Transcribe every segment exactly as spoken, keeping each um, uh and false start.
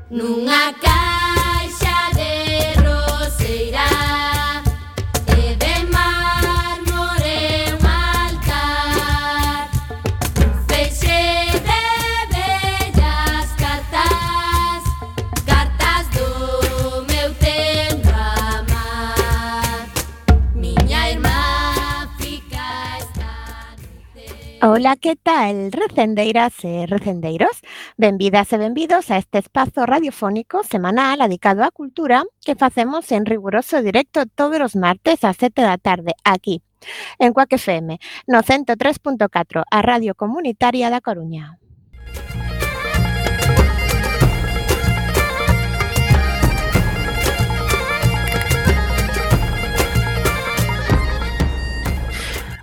Nunha caixa de roseira e de mármore un altar, feixe de bellas cartas, cartas do meu tendo amar. Miña irmá fica esta noite. Ola, que tal, recendeiras e recendeiros? Benvidas e benvidos a este espazo radiofónico semanal dedicado á cultura que facemos en riguroso directo todos os martes ás sete da tarde, aquí, en Cuac F M, no ciento tres punto catro, a Radio Comunitaria da Coruña.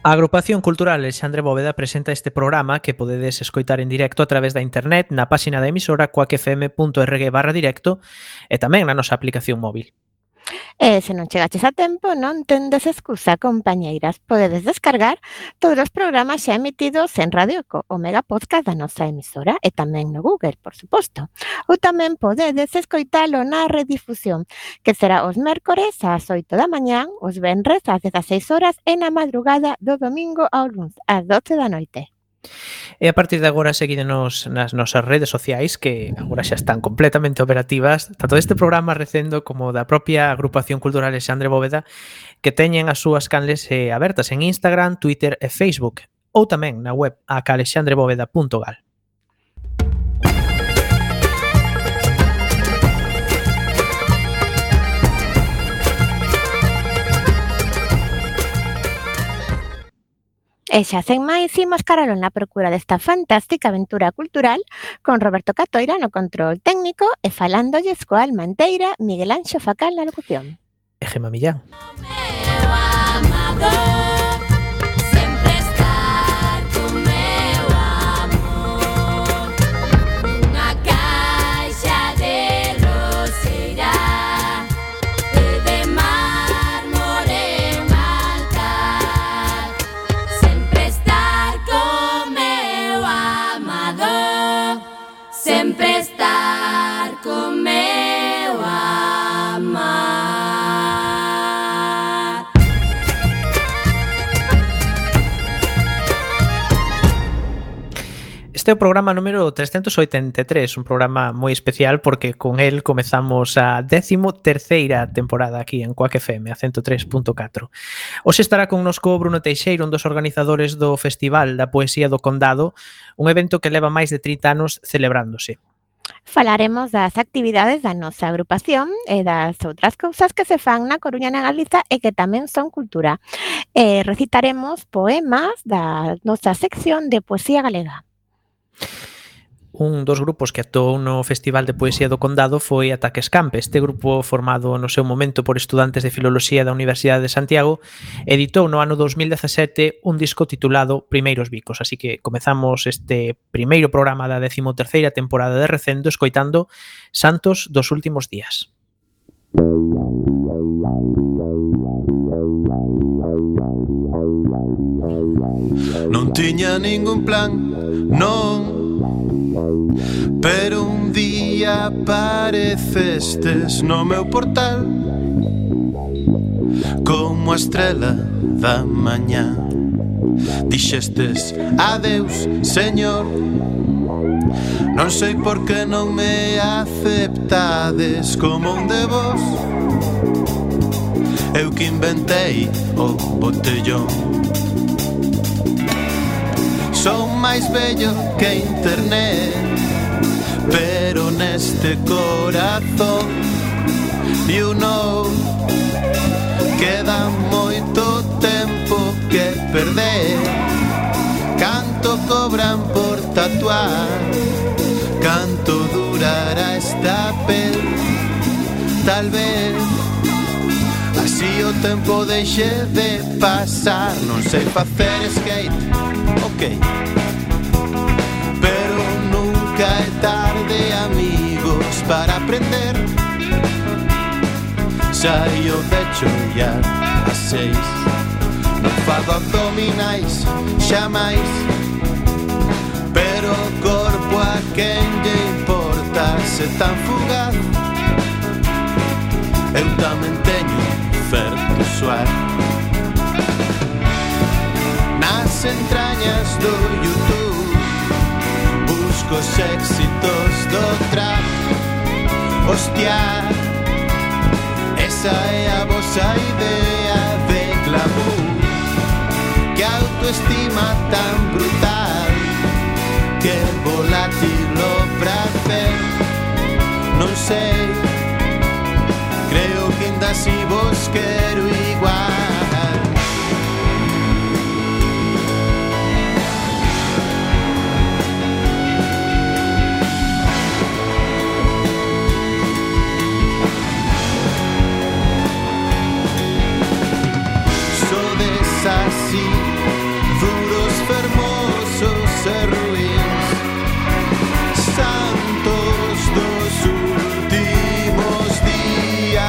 A Agrupación Cultural Alexandre Bóveda presenta este programa que podedes escoitar en directo a través da internet na páxina da emisora cuacfm.org barra directo e tamén na nosa aplicación móvil. E se non chegaches a tempo, non tendes excusa, compañeiras. Podedes descargar todos os programas xa emitidos en Radio Eco, o mega podcast da nosa emisora, e tamén no Google, por suposto. Ou tamén podedes escoitalo na redifusión, que será os mércores ás oito da mañán, os venres ás dezaseis horas e na madrugada do domingo ao luns ás doce da noite. E a partir de agora seguídenos nas nosas redes sociais que agora xa están completamente operativas, tanto deste programa Recendo como da propia Agrupación Cultural Alexandre Bóveda, que teñen as súas canles eh, abertas en Instagram, Twitter e Facebook, ou tamén na web a calexandrebóveda punto gal. E xa sen máis, imos caralo na procura desta fantástica aventura cultural con Roberto Catoira no control técnico e falándolles coa alma enteira Miguel Anxo Facal na locución. E Gemma Millán. Meu amador, sempre estar con meu amor. Nunha caixa de roseira e de mármore un altar, sempre estar con meu amador, sempre estar con meu amar. Este é o programa número trescentos oitenta e tres, un programa moi especial porque con el comezamos a décimo terceira temporada aquí en Cuac F M, a ciento tres punto catro. Hoxe estará connosco Bruno Teixeiro, un dos organizadores do Festival da Poesía do Condado, un evento que leva máis de trinta anos celebrándose. Falaremos das actividades da nosa agrupación e das outras cousas que se fan na Coruña e na Galiza e que tamén son cultura. E recitaremos poemas da nosa sección de poesía galega. Un dos grupos que actuou no Festival de Poesía do Condado foi Ataque Escampe. Este grupo, formado no seu momento por estudantes de Filoloxía da Universidade de Santiago, editou no ano dos mil dezasete un disco titulado Primeiros Bicos. Así que comezamos este primeiro programa da décimo terceira temporada de Recendo escoitando Santos dos Últimos Días. Non tiña ningún plan, non, pero un día aparecestes no meu portal como a estrela da mañá. Dixestes adeus, señor, non sei por que non me aceptades como un de vos. Eu que inventei o botellón. Son máis bello que internet, pero neste corazón, you know, queda moito tempo que perder. Canto cobran por tatuar, canto durará esta pel. Tal vez así o tempo deixe de pasar. Non sei facer skate, ok, pero nunca é tarde, amigos, para aprender. Saio de chollar a seis, non fago abdominais xamais, pero o corpo a quen lle importa fose tan fugaz. Eu tamén teño certo suar nas entrañas do YouTube. Busco os éxitos do trap. Hostia, esa é a vosa idea de glamour. Que autoestima tan brutal, que volátil o prazer. Non sei, creo que ainda si vos quero igual. Sodes así, duros, fermosos e ruins, santos dos últimos días.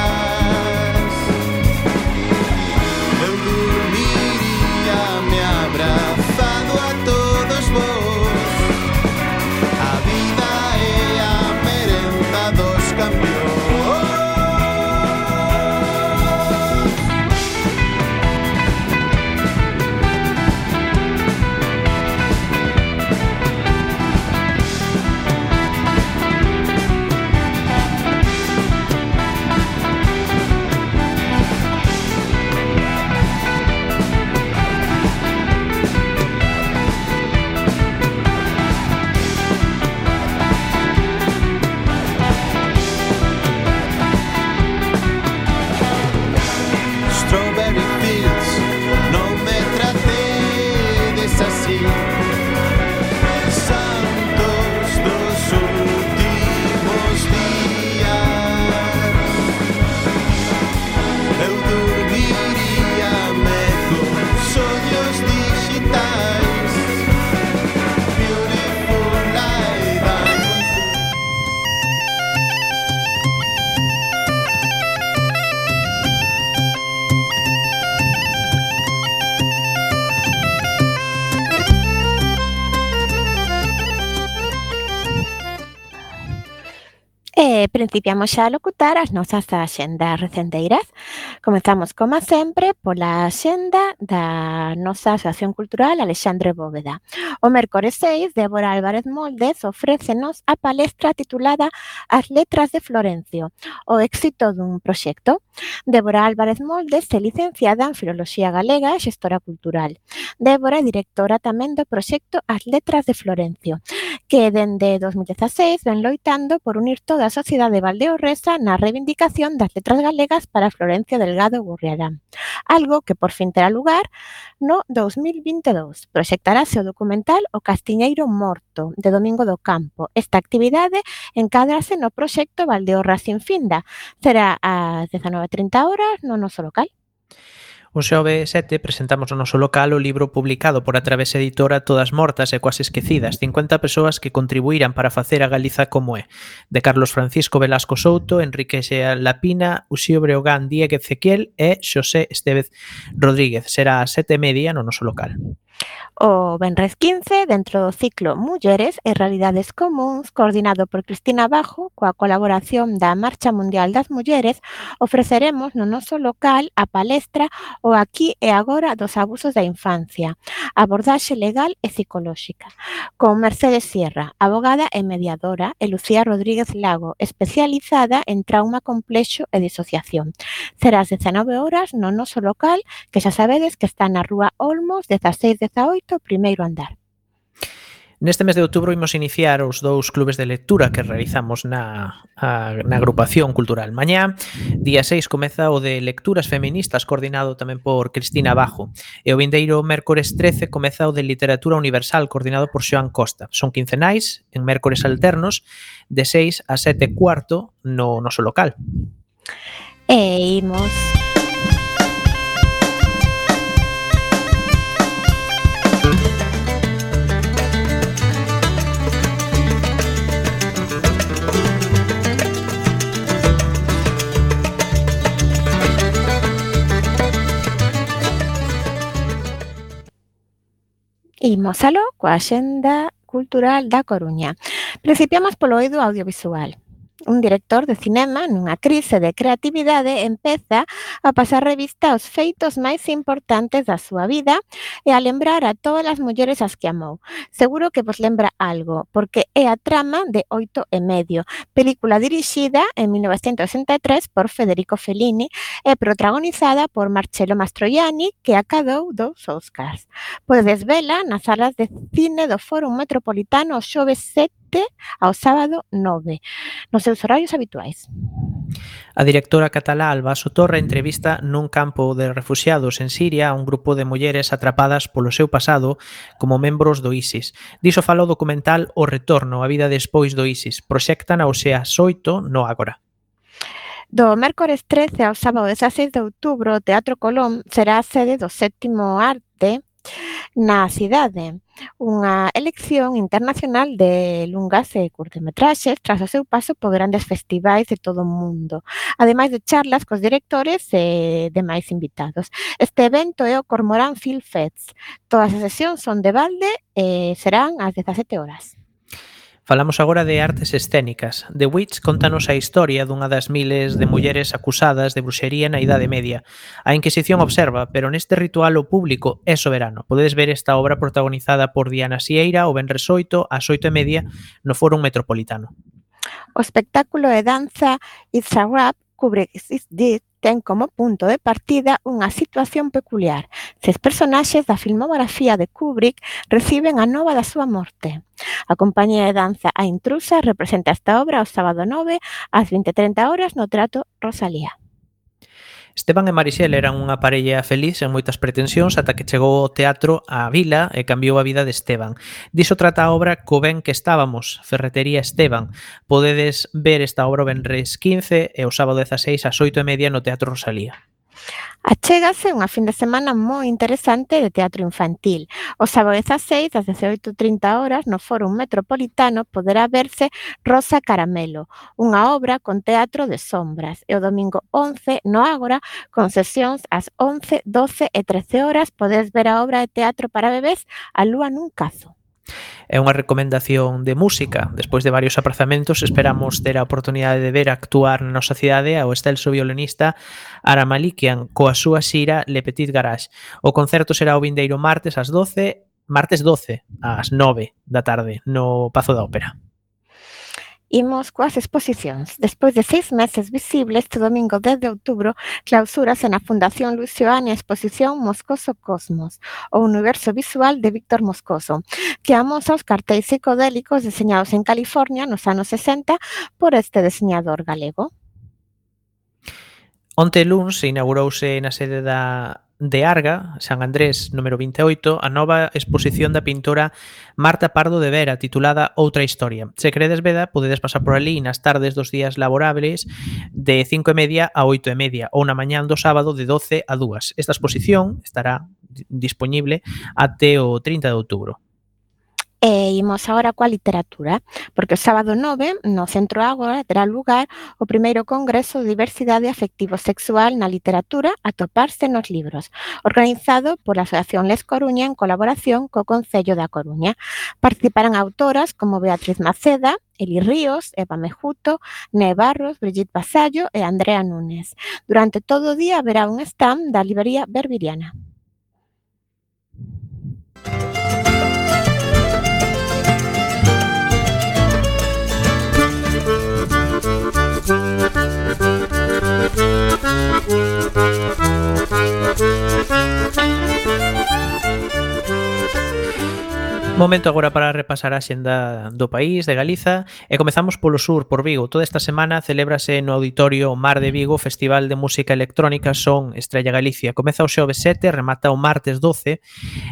Eu dormiría me abrazado a todos vos. A vida é a merenda dos campeóns. Strawberry Fields, non me tratedes así. Santos dos últimos días. Eu dormiríame con soños digitais. Beautiful light and E principiamos xa a locutar as nosas axendas recendeiras. Comezamos, como sempre, pola axenda da nosa Asociación Cultural Alexandre Bóveda. O mércores seis, Débora Álvarez Moldes ofrécenos a palestra titulada As letras de Florencio, o éxito dun proxecto. Débora Álvarez Moldes é licenciada en Filoloxía Galega e Xestora Cultural. Débora é directora tamén do proxecto As letras de Florencio, que dende dos mil dezaseis ven loitando por unir toda a sociedade valdeorresa na reivindicación das letras galegas para Florencio Delgado Gurriarán, algo que por fin terá lugar no dos mil vinte e dous. Proxectarase o documental O Castiñeiro Morto, de Domingo do Campo. Esta actividade encádrase no proxecto Valdeorra sin finda. Será ás dezanove e trinta horas no noso local. O xove sete presentamos no noso local o libro publicado por a Travesa Editora Todas mortas e quase esquecidas, cincuenta persoas que contribuíran para facer a Galiza como é, de Carlos Francisco Velasco Souto, Enrique Xea Lapina, Uxío Breogán Diéguez Ezequiel e Xosé Estevez Rodríguez. Será a sete e media no noso local. O venres quince, dentro do ciclo Mulleres e Realidades Comúns, coordinado por Cristina Bajo, coa colaboración da Marcha Mundial das Mulleres, ofreceremos no noso local a palestra O aquí e agora dos abusos da infancia, abordaxe legal e psicolóxica, con Mercedes Sierra, abogada e mediadora, e Lucía Rodríguez Lago, especializada en trauma complexo e disociación. Será ás dezanove horas no noso local, que xa sabedes que está na Rúa Olmos, dezaseis dezaoito, primeiro andar. Neste mes de outubro imos iniciar os dous clubes de lectura que realizamos na, a, na agrupación cultural. Mañá, día seis, comeza o de lecturas feministas, coordinado tamén por Cristina Bajo. E o vindeiro mércores trece comeza o de literatura universal, coordinado por Xoán Costa. Son quincenais, en mércores alternos, de seis a sete e cuarto no noso local. E imos... Imos aló coa Axenda Cultural da Coruña. Principiamos polo eido audiovisual. un director de cinema nunha crise de creatividade empeza a pasar revista aos feitos máis importantes da súa vida e a lembrar a todas as mulleres as que amou. Seguro que vos lembra algo, porque é a trama de Oito e medio, película dirixida en mil novecientos sesenta e tres por Federico Fellini e protagonizada por Marcello Mastroianni, que acadou dous Oscars. Podedes vela nas salas de cine do Fórum Metropolitano o xoves sete ao sábado nove, nos seus horarios habituais. A directora catalá Alba Sotorra entrevista nun campo de refuxiados en Siria a un grupo de mulleres atrapadas polo seu pasado como membros do ISIS. Diso fala o documental O Retorno, a vida despois do ISIS. Proxectan ao ás oito no Ágora. Do mércores trece ao sábado dezaseis de outubro, o Teatro Colón será a sede do sétimo Arte na cidade, unha elección internacional de lungas e curtametraxes tras o seu paso por grandes festivais de todo o mundo, ademais de charlas cos directores e demais invitados. Este evento é o Cormorán Film Fest. Todas as sesións son de balde e serán ás dezasete horas. Falamos agora de artes escénicas. The Witch contanos a historia dunha das miles de mulleres acusadas de bruxería na Idade Media. A Inquisición observa, pero neste ritual o público é soberano. Podedes ver esta obra protagonizada por Diana Sieira o venres oito ás oito e media no Fórum Metropolitano. O espectáculo de danza It's a Rap Kubrick Is Dead ten como punto de partida unha situación peculiar. Seis personaxes da filmografía de Kubrick reciben a nova da súa morte. A compañía de danza A Intrusa representa esta obra o sábado nove ás vinte e trinta horas no Teatro Rosalía. Esteban e Marixel eran unha parella feliz en moitas pretensións ata que chegou ao teatro á vila e cambiou a vida de Esteban. Diso trata a obra Co ben que estábamos, Ferretería Esteban. Podedes ver esta obra o venres quince e o sábado dezaseis ás oito e media no Teatro Rosalía. Achégase unha fin de semana moi interesante de teatro infantil. O sábado dezaseis ás dezaoito e trinta horas no Fórum Metropolitano poderá verse Rosa Caramelo, unha obra con teatro de sombras. E o domingo once no Ágora, con sesións ás once, doce e trece horas, podes ver a obra de teatro para bebés A lúa nun cazo. É unha recomendación de música. Despois de varios aprazamentos, esperamos ter a oportunidade de ver actuar na nosa cidade ao excelso violinista Ara Malikian coa súa xira Le Petit Garage. O concerto será o vindeiro martes ás doce, martes doce ás nove da tarde no Pazo da Ópera. Imos coas exposicións. Despois de seis meses visibles, este domingo dez de outubro, clausúrase na Fundación Luis Seoane a exposición Moscoso Cosmos, o universo visual de Víctor Moscoso, que amosa os cartéis psicodélicos deseñados en California nos anos sesenta por este deseñador galego. Onte luns inaugurouse na sede da de Arga, San Andrés, número vinte e oito, a nova exposición da pintora Marta Pardo de Vera, titulada Outra Historia. Se queredes veda, podedes pasar por ali nas tardes dos días laborables de cinco e media a oito e media ou na mañán do sábado de doce a dúas. Esta exposición estará disponible até o trinta de outubro. E imos agora coa literatura, porque o sábado nove, no Centro Ágora, terá lugar o primeiro Congreso de Diversidade Afectivo-Sexual na Literatura a toparse nos libros, organizado pola Asociación Les Coruña en colaboración co Concello da Coruña. Participarán autoras como Beatriz Maceda, Eli Ríos, Eva Mejuto, Ne Barros, Brigitte Vasallo e Andrea Núñez. Durante todo o día haberá un stand da librería Berbiriana. Momento agora para repasar a xenda do país, de Galiza, e comezamos polo sur, por Vigo. Toda esta semana celébrase no Auditorio Mar de Vigo o Festival de Música Electrónica Son Estrella Galicia. Comeza o xoves sete, remata o martes doce,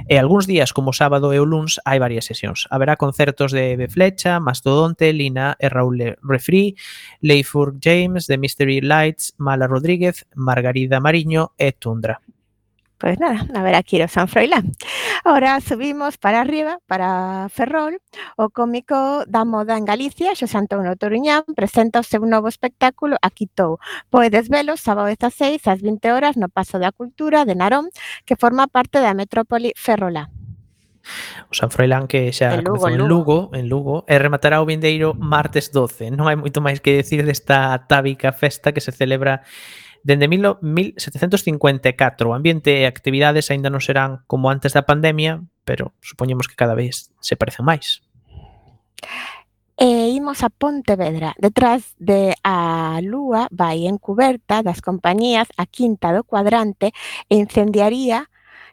e algúns días, como o sábado e o luns, hai varias sesións. Haberá concertos de Eve Flecha, Mastodonte, Lina e Raúl Refri, Leifur James, The Mystery Lights, Mala Rodríguez, Margarida Mariño e Tundra. Pois nada, a ver aquí o San Froilán. Ahora subimos para arriba, para Ferrol. O cómico da moda en Galicia, Xosé Antonio Toruñán, presenta o seu novo espectáculo Aquitou. Podes velo sábado dezaseis ás vinte horas no Pazo da Cultura de Narón, que forma parte da metrópoli ferrolá. O San Froilán que xa En Lugo, comezou en en Lugo, en Lugo, e rematará o vindeiro martes doce. Non hai moito máis que decir desta atávica festa que se celebra dende mil setecentos cincuenta e catro. O ambiente e actividades aínda non serán como antes da pandemia, pero supoñemos que cada vez se parecen máis. E imos a Pontevedra. Detrás de a lúa vai encuberta das compañías a Quinta do Cuadrante e incendiaría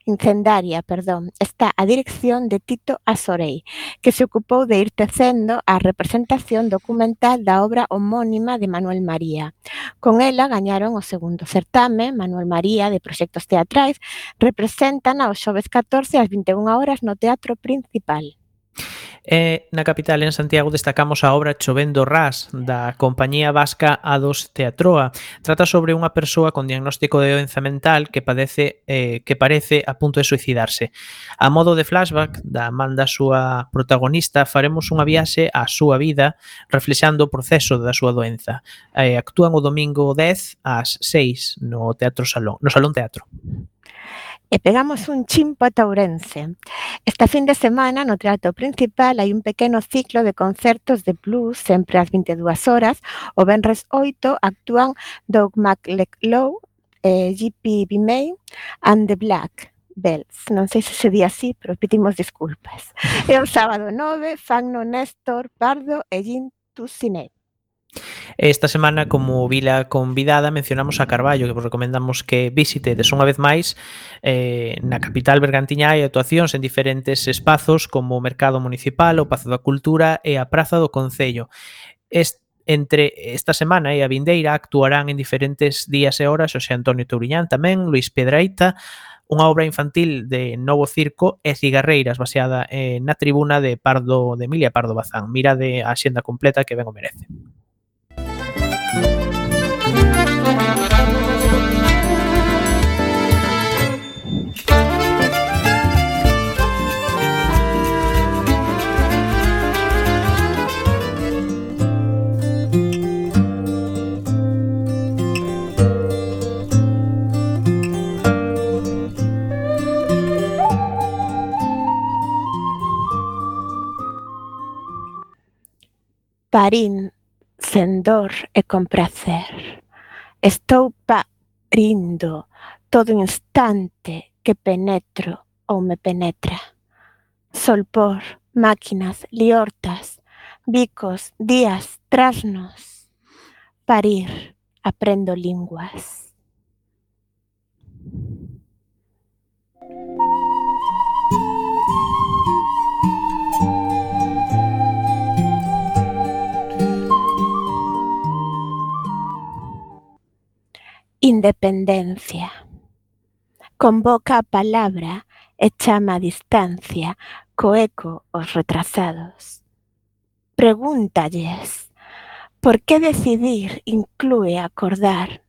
incendaria, perdón, está a dirección de Tito Asorei, que se ocupou de ir tecendo a representación documental da obra homónima de Manuel María. Con ela gañaron o segundo certame. Manuel María, de proxectos teatrais, representan aos xoves catorce ás vinte e unha horas no Teatro Principal. E na capital, en Santiago, destacamos a obra Chovendo Ras, da compañía vasca A dos Teatroa. Trata sobre unha persoa con diagnóstico de doenza mental que padece eh, que parece a punto de suicidarse. A modo de flashback da man da súa protagonista, faremos unha viaxe á súa vida reflexando o proceso da súa doenza. Eh, actúan o domingo dez ás seis no Teatro Salón, no Salón Teatro. E pegamos un chimpo ata Ourense. Esta fin de semana no Teatro Principal hai un pequeno ciclo de concertos de blues sempre ás vinte e dúas horas. O venres oito actúan Doug McLeod, eh, G P May and the Black Bells. Non sei se se di así, pero pedimos disculpas. E o sábado nove Fagno Néstor Pardo e Jim Tucinet. Esta semana, como vila convidada, mencionamos a Carballo, que vos recomendamos que visitedes unha vez máis. Eh, na capital bergantiña hai actuacións en diferentes espazos como o Mercado Municipal, o Pazo da Cultura e a Praza do Concello. Est Entre esta semana e a vindeira actuarán en diferentes días e horas Xosé Antonio Touriñán tamén, Luis Piedrahita, unha obra infantil de Novo Circo e Cigarreiras, baseada eh, na tribuna de Pardo de Emilia Pardo Bazán. Mirade a axenda completa que ben o merece. Parín sen dor e con prazer. Estou parindo todo instante que penetro ou me penetra. Solpor, máquinas, liortas, bicos, días, trasnos. Parir, aprendo linguas. Independencia. Convoca a palabra e chama a distancia co eco os retrasados. Pregúntalles por que decidir inclúe acordar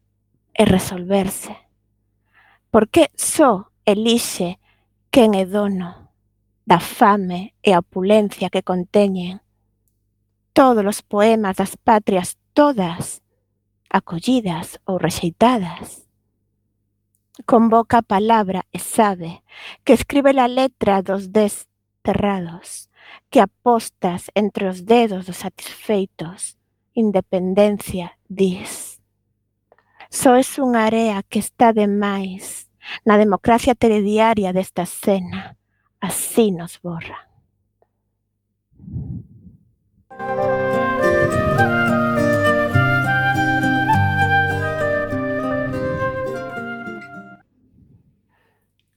e resolverse. Por que só elixe quen é dono da fame e a opulencia que conteñen todos os poemas das patrias, todas acollidas ou rexeitadas. Convoca a palabra e sabe que escribe a letra dos desterrados, que apostas entre os dedos dos satisfeitos. Independencia, dis. Só es unha area que está de máis na democracia telediaria desta escena. Así nos borra.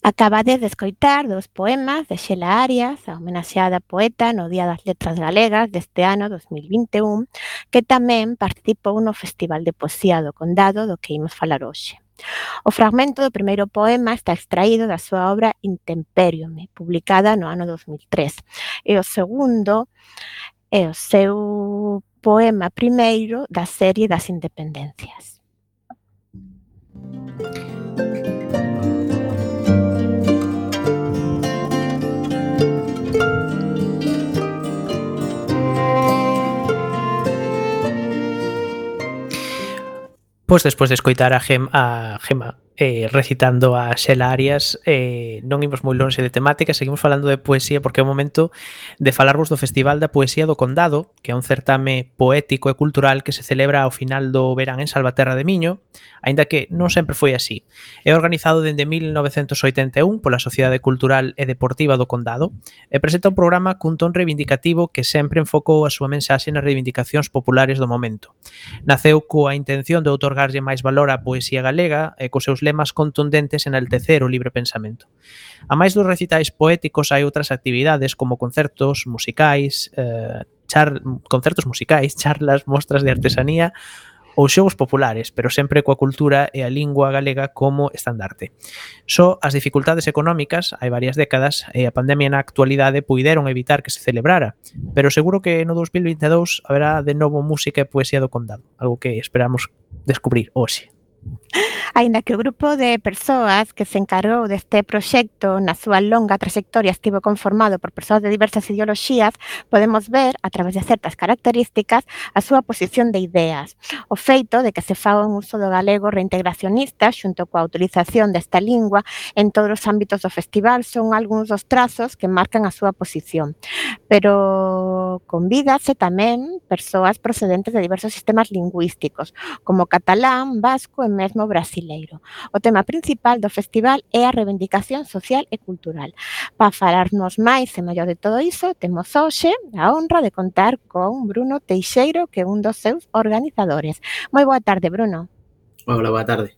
Acabades de escoitar dos poemas de Xela Arias, a homenaxeada poeta no Día das Letras Galegas deste ano dos mil vinte e un, que tamén participou no Festival de Poesía do Condado do que imos falar hoxe. O fragmento do primeiro poema está extraído da súa obra Intemperium, publicada no ano dos mil tres, e o segundo é o seu poema primeiro da serie das Independencias. Pois despois de escoitar a, Gem, a Gema eh, recitando a Xela Arias. Eh, non imos moi longe de temática, seguimos falando de poesía porque é o momento de falarvos do Festival da Poesía do Condado, que é un certame poético e cultural que se celebra ao final do verán en Salvaterra de Miño, aínda que non sempre foi así. É organizado dende mil novecentos oitenta e un pola Sociedade Cultural e Deportiva do Condado e presenta un programa cun ton reivindicativo que sempre enfocou a súa mensaxe nas reivindicacións populares do momento. Naceu coa intención de outorgarlle máis valor á poesía galega e cos seus lemas contundentes enaltecer o libre pensamento. A máis dos recitais poéticos hai outras actividades como concertos musicais, eh, char, concertos musicais, charlas, mostras de artesanía ou xogos populares, pero sempre coa cultura e a lingua galega como estandarte. Só as dificultades económicas, hai varias décadas, e a pandemia na actualidade puideron evitar que se celebrara, pero seguro que no dos mil vinte e dous haberá de novo música e poesía do Condado, algo que esperamos descubrir hoxe. Aínda que o grupo de persoas que se encargou deste proxecto na súa longa trayectoria estivo conformado por persoas de diversas ideoloxías, podemos ver, a través de certas características, a súa posición de ideas. O feito de que se faga un uso do galego reintegracionista xunto coa utilización desta lingua en todos os ámbitos do festival son algúns dos trazos que marcan a súa posición. Pero convídase tamén persoas procedentes de diversos sistemas lingüísticos, como catalán, vasco e mesmo brasileiro. O tema principal do festival é a reivindicación social e cultural. Para falarnos máis e mellor de todo iso, temos hoxe a honra de contar con Bruno Teixeiro, que é un dos seus organizadores. Moi boa tarde, Bruno. Hola, boa tarde.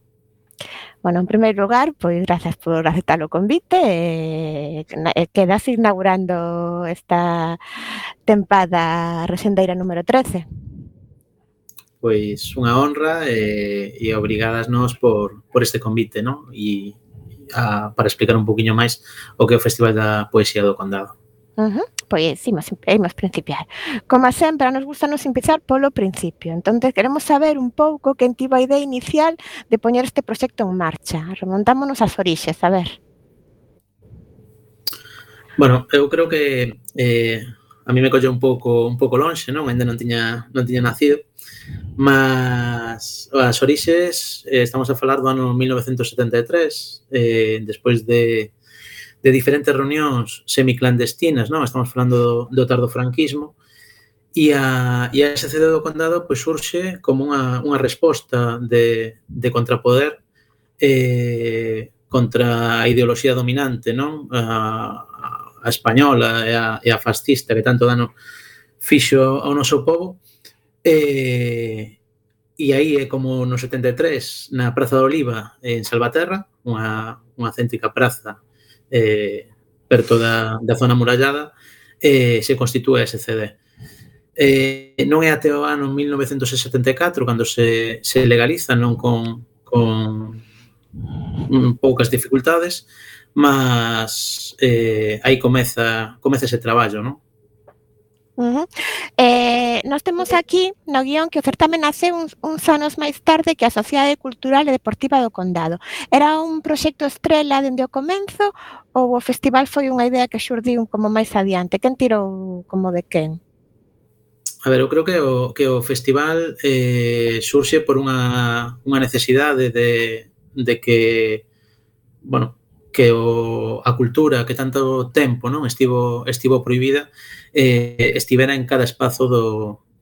Bueno, en primeiro lugar, pois grazas por aceptar o convite e eh, quedas inaugurando esta tempada rexendeira número trece. Pois unha honra e, e obrigadas nós por, por este convite, non? E a, para explicar un poquinho máis o que é o Festival da Poesía do Condado. Uh-huh. Pois imos, imos principiar. Como sempre, nos gusta nos empezar polo principio. Entón, queremos saber un pouco quen tivo a idea inicial de poñer este proxecto en marcha. Remontámonos ás orixes, a ver. Bueno, eu creo que eh, a mí me colle un pouco un pouco lonxe, non? Ainda non tiña non tiña nacido. Mas as orixes, eh, estamos a falar do ano mil novecentos setenta e tres, eh, despois de, de diferentes reunións semiclandestinas, non? Estamos falando do, do tardofranquismo, e a, e a S C D do Condado pois, surxe como unha, unha resposta de, de contrapoder eh, contra a ideoloxía dominante, non? A, a española e a, e a fascista que tanto dano fixo ao noso povo. E, e aí é como no setenta e tres na Praza da Oliva en Salvaterra, unha, unha céntrica praza eh, perto da, da zona murallada, eh, se constitúe a S C D. Eh, non é até o ano mil novecentos setenta e catro cando se, se legaliza, non con, con mm, poucas dificultades, mas eh, aí comeza, comeza ese traballo, non? Uh-huh. Eh, nós temos aquí no guión que o certame nace uns, uns anos máis tarde que a Sociedade Cultural e Deportiva do Condado. Era un proxecto estrela dende o comenzo ou o festival foi unha idea que xurdiu como máis adiante? Quen tirou como de quen? A ver, eu creo que o, que o festival eh, surxe por unha, unha necesidade de, de que, bueno, que o, a cultura que tanto tempo non estivo estivo prohibida eh, estivera en cada espazo do,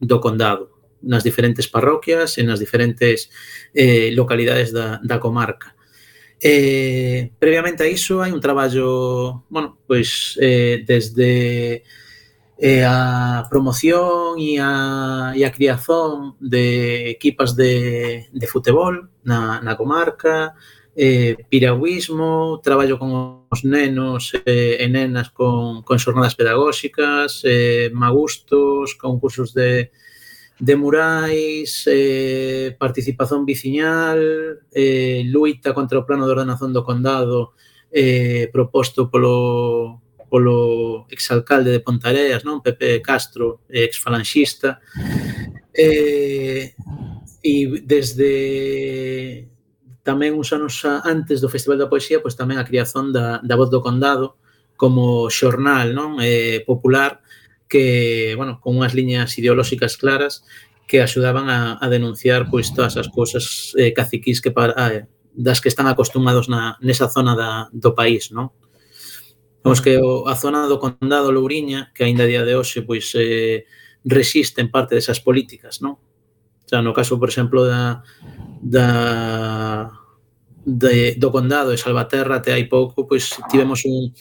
do condado, nas diferentes parroquias e nas diferentes eh, localidades da, da comarca. Eh, previamente a iso hai un traballo, bueno, pois eh, desde eh, a promoción e a, e a criazón de equipas de, de futebol na, na comarca, eh, piragüismo, traballo con os nenos eh, e nenas con, con xornadas pedagóxicas, eh, magustos, concursos de, de murais, eh, participación viciñal, eh, luita contra o plano de ordenación do condado eh, proposto polo, polo exalcalde de Pontareas, non? Pepe Castro, exfalanxista, eh, e desde tamén uns anos antes do Festival da Poesía, pois tamén a criazón da, da Voz do Condado como xornal, non? Eh, popular que, bueno, con unhas liñas ideolóxicas claras que axudaban a, a denunciar pois todas as cousas eh, caciquís que, para, das que están acostumados na, nesa zona da, do país, non? Vamos que o, a zona do Condado Louriña, que aínda a día de hoxe pois, eh, resiste en parte desas políticas, non? O sea, no caso, por exemplo, da, da de, do Condado de Salvaterra, até hai pouco, pois tivemos un,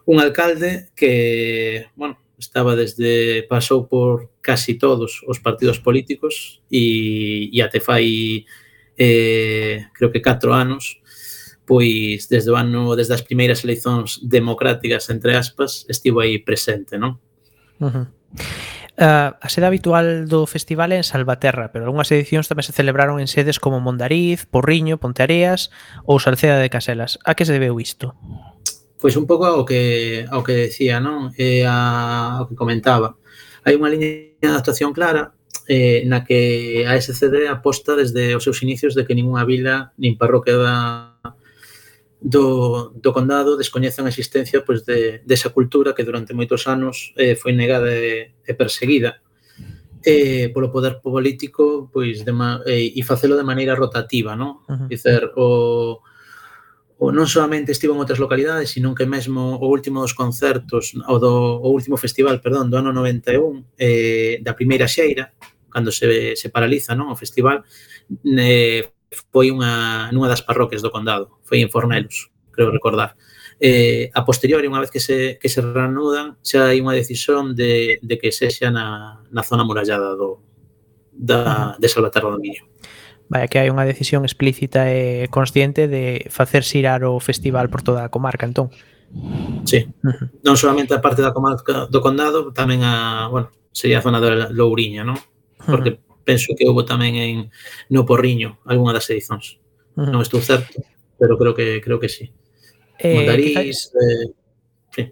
un alcalde que, bueno, estaba desde, pasou por casi todos os partidos políticos e, e até fai, eh, creo que catro anos, pois desde o ano, desde as primeiras eleicións democráticas, entre aspas, estivo aí presente, non? Uh-huh. Uh, a sede habitual do festival é en Salvaterra, pero algunhas edicións tamén se celebraron en sedes como Mondariz, Porriño, Ponteareas ou Salceda de Caselas. A que se debeu isto? Pois un pouco ao que ao que decía, non? E a, ao que comentaba. Hai unha liña de actuación clara eh, na que a S C D aposta desde os seus inicios de que ninguna vila nin parroquia da do, do condado descoñecen a existencia pois, de, de esa cultura que durante moitos anos eh, foi negada e, e perseguida eh, polo poder político pois, de ma, eh, e facelo de maneira rotativa, non? Uh-huh. Dicer, o, o non solamente estivo en outras localidades, sino que mesmo o último dos concertos, o, do, o último festival, perdón, do ano noventa e un, eh, da primeira xeira, cando se, se paraliza, non, o festival, eh, foi unha, nunha das parroquias do condado, foi en Fornelos, creo recordar. Eh, a posteriori, unha vez que se, que se reanudan, xa hai unha decisión de, de que sexa na, na zona murallada do, da, de Salvaterra do Miño. Vaya, que hai unha decisión explícita e consciente de facer xirar o festival por toda a comarca, entón. Sí, uh-huh. Non solamente a parte da comarca do condado, tamén a, bueno, sería a zona da Louriña, non? Porque uh-huh. penso que houve tamén en no Porriño algunha das edicións. Uh-huh. Non estou certo, pero creo que creo que sí. Eh, Mondariz, quizás... eh, sí.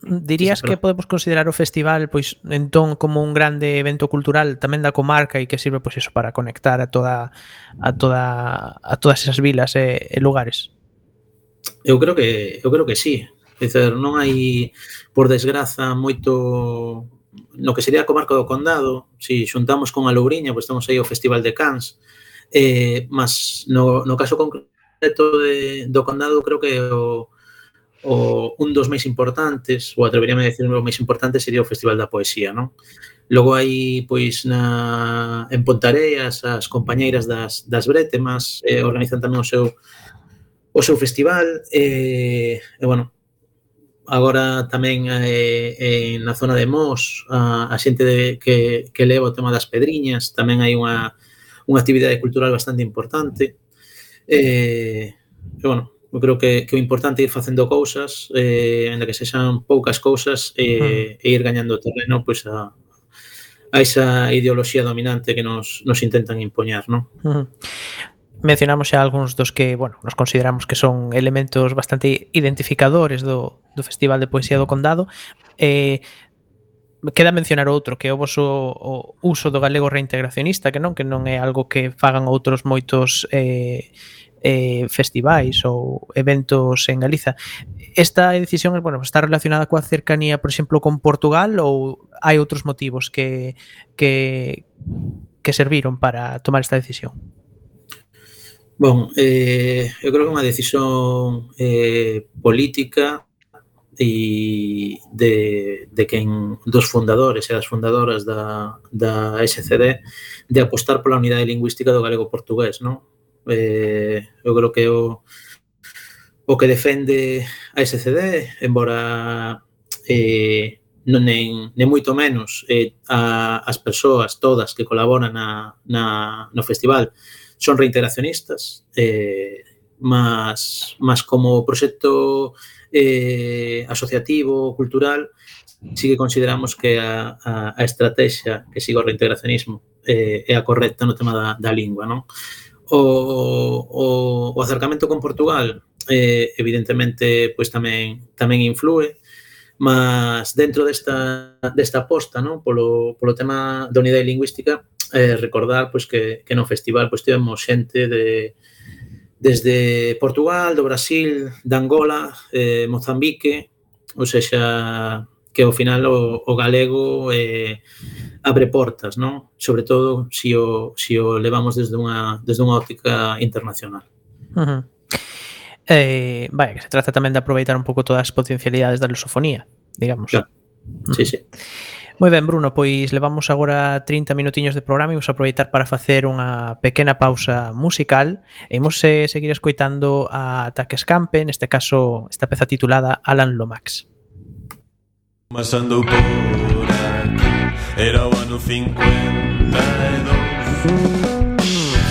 Dirías sí, que podemos considerar o festival pois entón como un grande evento cultural tamén da comarca e que sirve pois eso para conectar a toda a toda a todas esas vilas e, e lugares? Eu creo que eu creo que sí. É dizer, non hai por desgraza moito no que sería a comarca do condado, si xuntamos con a Louriña, pois temos aí o Festival de Cans, eh, mas no, no caso concreto de, do condado creo que o, o, un dos máis importantes, ou atreveríame a decir o máis importante sería o Festival da Poesía, non? Logo hai, pois, na, en Pontareas, as compañeiras das, das Brétemas eh, organizan tamén o seu o seu festival, e, eh, bueno, agora tamén eh, eh, na zona de Mos, a, a xente de, que, que leva o tema das pedriñas, tamén hai unha, unha actividade cultural bastante importante. Eh, e, bueno, eu creo que, que o importante é ir facendo cousas, eh, ainda que sexan poucas cousas, eh, e ir gañando terreno pois, a, a esa ideoloxía dominante que nos, nos intentan impoñar, non? Uh-huh. Mencionamos xa algúns dos que, bueno, nos consideramos que son elementos bastante identificadores do, do Festival de Poesía do Condado. Eh, queda mencionar outro, que é o voso o uso do galego reintegracionista, que non que non é algo que fagan outros moitos eh, eh, festivais ou eventos en Galiza. Esta decisión, bueno, está relacionada coa cercanía, por exemplo, con Portugal, ou hai outros motivos que, que, que serviron para tomar esta decisión? Bon, eh, eu creo que é unha decisión eh, política e de, de quen dos fundadores e das fundadoras da, da S C D de apostar pola unidade lingüística do galego-portugués, non? Eh, eu creo que o, o que defende a S C D, embora eh, non nem, nem moito menos eh, a, as persoas todas que colaboran na, na, no festival son reintegracionistas, eh, mas, mas como proxecto eh, asociativo, cultural, sí que consideramos que a, a, a estrategia que siga o reintegracionismo eh, é a correcta no tema da, da lingua, non? O, o, o acercamento con Portugal, eh, evidentemente, pois tamén tamén influe, mas dentro desta, desta aposta, non? Polo, polo tema da unidade lingüística, eh, recordar pois que, que no festival pois tivemos xente de desde Portugal, do Brasil, de Angola, eh, Mozambique, ou sexa que ao final o, o galego eh, abre portas, non? Sobre todo se si o, si o levamos desde unha desde unha óptica internacional. Uh-huh. Eh, vaya, que se trata tamén de aproveitar un pouco todas as potencialidades da lusofonía, digamos. Claro. Sí, sí. Moi ben, Bruno, pois levamos agora trinta minutiños de programa e vamos a aproveitar para facer unha pequena pausa musical e imos eh, seguir escoitando a Ataque Escampe, neste caso esta peza titulada Alan Lomax. Mas andou por aquí, era o ano cincuenta e dous.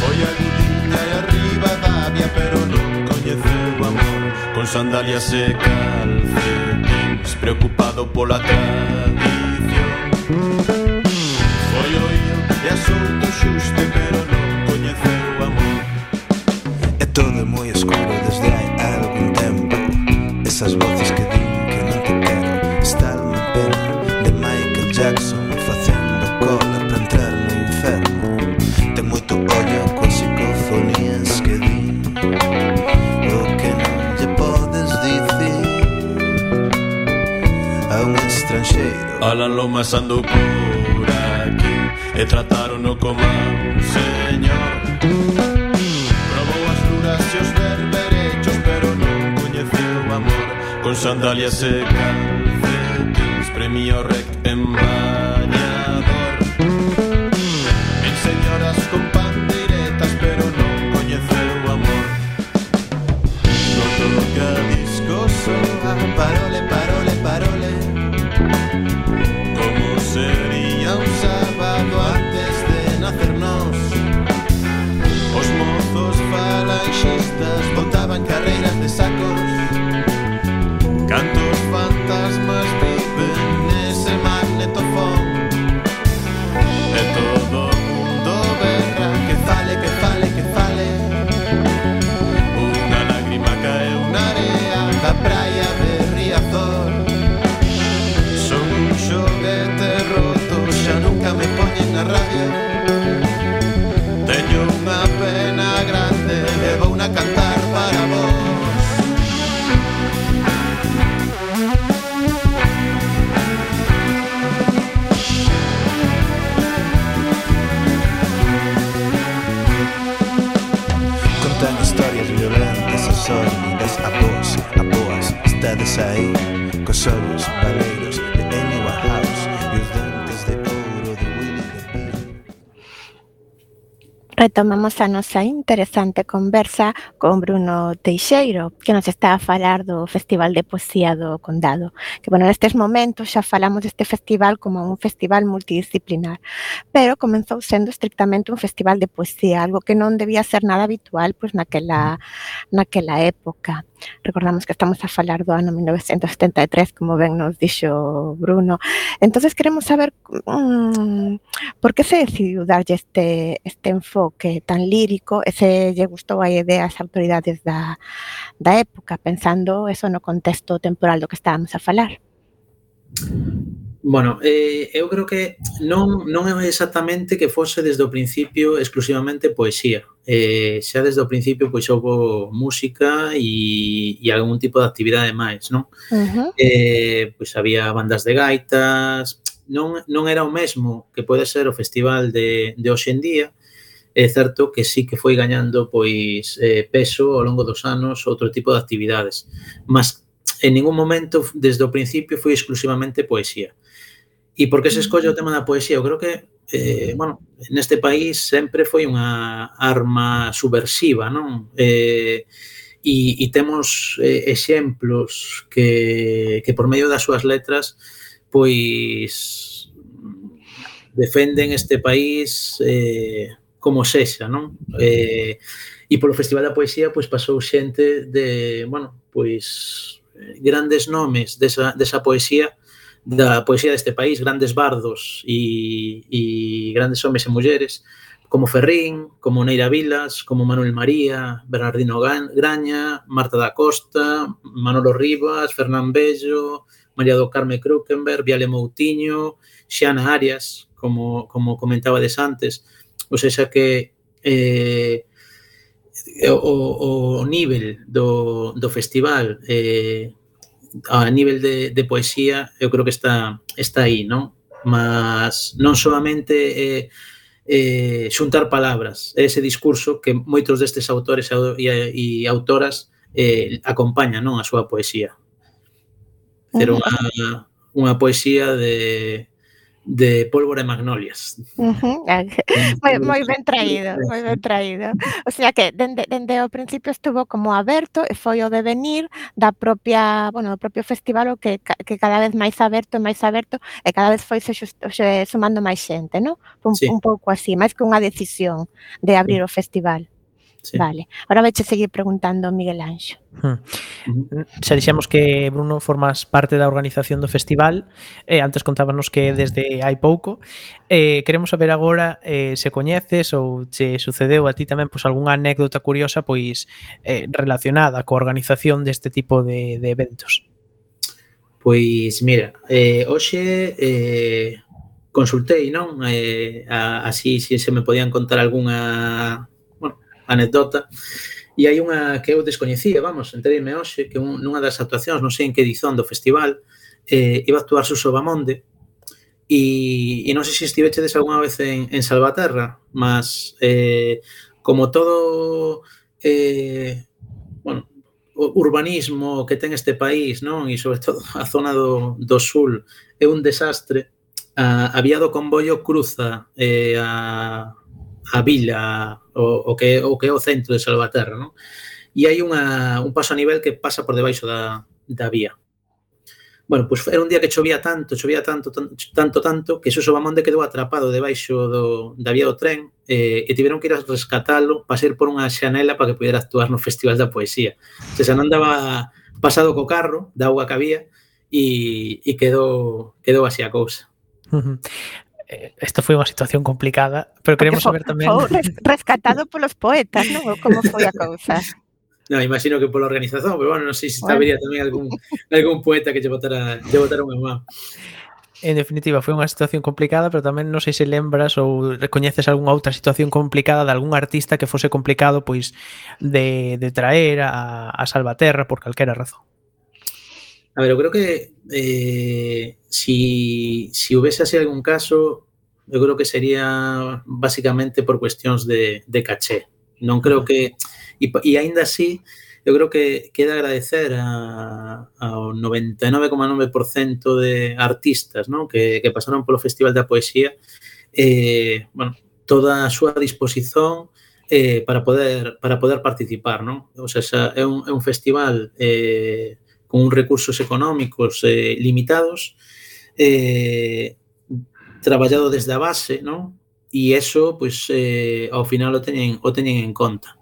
Foi a Gudiña e arriba Davia, pero non coñeceu o amor. Con sandalias e calcetins, preocupado pola tradición. Foi o ío e asunto xusto, pero non coñeceu o amor. É todo moi escuro desde hai algún tempo. Esas voces que din que non te quero. Está unha pena de Michael Jackson facendo cola para entrar no inferno. Ten moito ollo con psicofonías que din o que non lle podes dicir a un estranxeiro. Alan Lomax andou por aquí e tratarono como a un señor. Probou as luras e os berberechos, pero non coñeceu o amor. Con sandalias e calcetins, premio rec en bañador. En señoras con pandeiretas, pero non coñeceu o amor. Non toca disco soa, parole, parole, parole. Como sería un sábado antes de nacernos? Os mozos falanxistas botaban carreiras de sacos. Cantos fantasmas viven nese magnetofón. E todo o mundo berra que fale, que fale, que fale. Unha lágrima caeu na area da praia de Riazor. Son un xoguete roto, xa nunca me poñen na radio. Teño unha pena grande e vou na cantar para vos. Contan historias violentas e sórdidas a vos, a boas. Estades aí, cos ollos valeiros de Amy Winehouse e os dentes de ouro de Willie DeVille. Retomamos a nosa interesante conversa con Bruno Teixeiro, que nos está a falar do Festival de Poesía do Condado. Que, bueno, nestes momentos xa falamos deste festival como un festival multidisciplinar, pero comenzou sendo estrictamente un festival de poesía, algo que non debía ser nada habitual pois naquela, naquela época. Recordamos que estamos a falar do ano mil novecentos setenta e tres, como ben nos dixo Bruno. Entonces queremos saber mmm, por que se decidiu darlle este, este enfoque tan lírico e se lle gustou a idea ás autoridades da, da época, pensando eso no contexto temporal do que estábamos a falar. Bueno, eh, eu creo que non, non é exactamente que fose desde o principio exclusivamente poesía. Eh, xa desde o principio pois houve música e, e algún tipo de actividade máis, non? Uh-huh. Eh, pois había bandas de gaitas, non, non era o mesmo que pode ser o festival de, de hoxe en día. É certo que sí que foi gañando pois eh, peso ao longo dos anos outro tipo de actividades, mas en ningún momento desde o principio foi exclusivamente poesía. E por que se escolle o tema da poesía? Eu creo que, eh, bueno, neste país sempre foi unha arma subversiva, non? Eh, e, e temos eh, exemplos que, que por medio das súas letras pois defenden este país eh, como sexa, non? Eh, e polo Festival da Poesía pois pasou xente de, bueno, pois grandes nomes desa, desa poesía, da poesía deste país, grandes bardos e, e grandes homes e mulleres, como Ferrín, como Neira Vilas, como Manuel María, Bernardino Graña, Marta da Costa, Manolo Rivas, Fernán Bello, María do Carme Krukenberg, Viale Moutiño, Xiana Arias, como, como comentabades antes. O sea que eh, o, o nivel do, do festival eh, a nivel de, de poesía eu creo que está, está aí, non? Mas non solamente eh, eh, xuntar palabras, ese discurso que moitos destes autores e, e autoras eh, acompaña, non, a súa poesía. Pero unha, unha poesía de, de pólvora e magnolias. Ujú. Moi, moi ben traído, moi ben traído. O sea que dende, dende o principio estuvo como aberto e foi o devenir da propia, bueno, do propio festival o que, que cada vez máis aberto e máis aberto e cada vez foi se, xusto, se sumando máis xente, non? Un, Sí. un pouco así, máis que unha decisión de abrir o festival. Sí. Vale, ahora veiche seguir preguntando Miguel Anxo. Hmm. Uh-huh. Xa dixemos que, Bruno, formas parte da organización do festival, eh, antes contábanos que desde hai pouco. Eh, queremos saber agora eh, se coñeces ou se sucedeu a ti tamén pois, algunha anécdota curiosa pois eh, relacionada coa organización deste tipo de, de eventos. Pois mira, eh, hoxe eh, consultei, non? Eh, a, así se se me podían contar algunha, bueno, anécdota. E hai unha que eu descoñecía, vamos, enterime hoxe, que un, nunha das actuacións, non sei en que edición do festival, eh, iba a actuar Suso Bamonde, e, e non sei se estivechedes algunha vez en, en Salvaterra, mas eh, como todo eh, bueno, o urbanismo que ten este país, non? E sobre todo a zona do, do sul é un desastre, a, a vía do convoio cruza eh, a a vila, o, o, que, o que é o centro de Salvaterra, non? E hai unha, un paso a nivel que pasa por debaixo da, da vía. Bueno, pois era un día que chovía tanto, chovía tanto, tanto, tanto, tanto que Suso Bamonde quedou atrapado debaixo do, da vía do tren eh, e tiveron que ir a rescatalo para ser por unha xanela para que pudera actuar no Festival da Poesía. Se xa non daba pasado co carro, da auga que había, e, e quedou, quedou así a cousa. Uh-huh. Esta foi unha situación complicada, pero queremos Porque saber tamén... Foi rescatado polos poetas, non? Como foi a cousa? Non, imagino que pola organización, pero bueno, non sei se habería tamén algún, algún poeta que lle botara, lle botara unha mão. En definitiva, foi unha situación complicada, pero tamén non sei se lembras ou recoñeces algunha outra situación complicada de algún artista que fose complicado pois de, de traer a, a Salvaterra por calquera razón. A ver, eu creo que eh, si, si houvese así algún caso, eu creo que sería basicamente por cuestións de, de caché. Non creo que... E, e aínda así, eu creo que queda agradecer a, ao noventa e nove coma nove por cento de artistas, non? Que, que pasaron polo Festival da Poesía, eh, bueno, toda a súa disposición eh, para poder para poder participar, non? O sea, é un, é un festival... Eh, con uns recursos económicos eh, limitados, eh, traballado desde a base, non? E eso, pois, eh, ao final o teñen, o teñen en conta.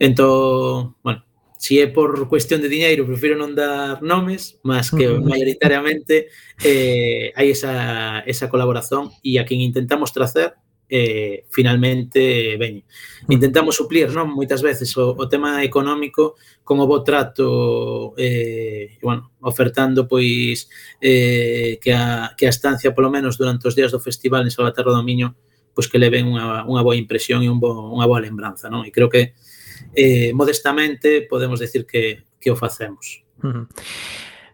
Entón, bueno, si é por cuestión de diñeiro, prefiro non dar nomes, mas que maioritariamente eh, hai esa, esa colaboración e a quen intentamos tracer eh, finalmente veñe. Intentamos suplir, non, moitas veces o, o tema económico con o bo trato eh, bueno, ofertando pois eh, que, a, que a estancia polo menos durante os días do festival en Salvaterra do Miño pois que leven unha, unha boa impresión e un bo, unha boa lembranza, non? E creo que eh, modestamente podemos decir que, que o facemos. Uh-huh.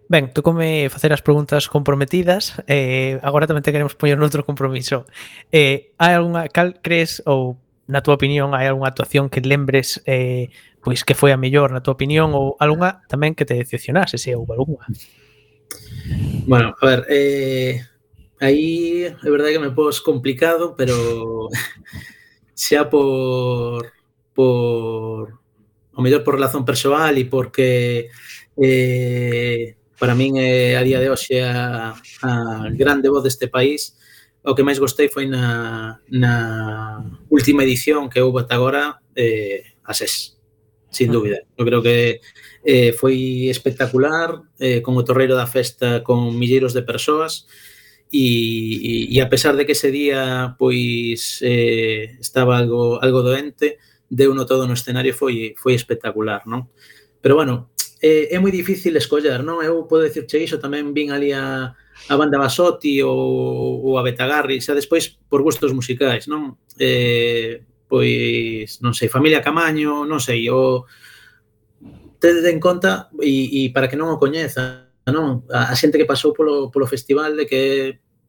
Ben, tú come facer as preguntas comprometidas, eh, agora tamén te queremos poñer noutro compromiso. Eh, hai algunha, cal crees, ou na túa opinión, hai algunha actuación que lembres eh, pois que foi a mellor na túa opinión, ou algunha tamén que te decepcionase, se houve algunha? Bueno, a ver, eh, aí é verdade que me pos complicado, pero xa por por o mellor por relación persoal e porque eh, para min é a día de hoxe a, a grande voz deste país. O que máis gostei foi na, na última edición que houve ata agora, eh, a SES, sin dúbida. Eu creo que eh, foi espectacular, eh, con o torreiro da festa con milleiros de persoas e, e, e a pesar de que ese día pois eh, estaba algo, algo doente, deu no todo no escenario, foi, foi espectacular, non? Pero bueno, eh, é moi difícil escoller, non? Eu podo dicirche iso, tamén vin ali a, a banda Basotti ou, ou a Betagarri, xa despois por gustos musicais, non? Eh, pois, non sei, Familia Camaño, non sei, o tede en conta, e, e para que non o coñeza, non? A, a xente que pasou polo, polo festival, de que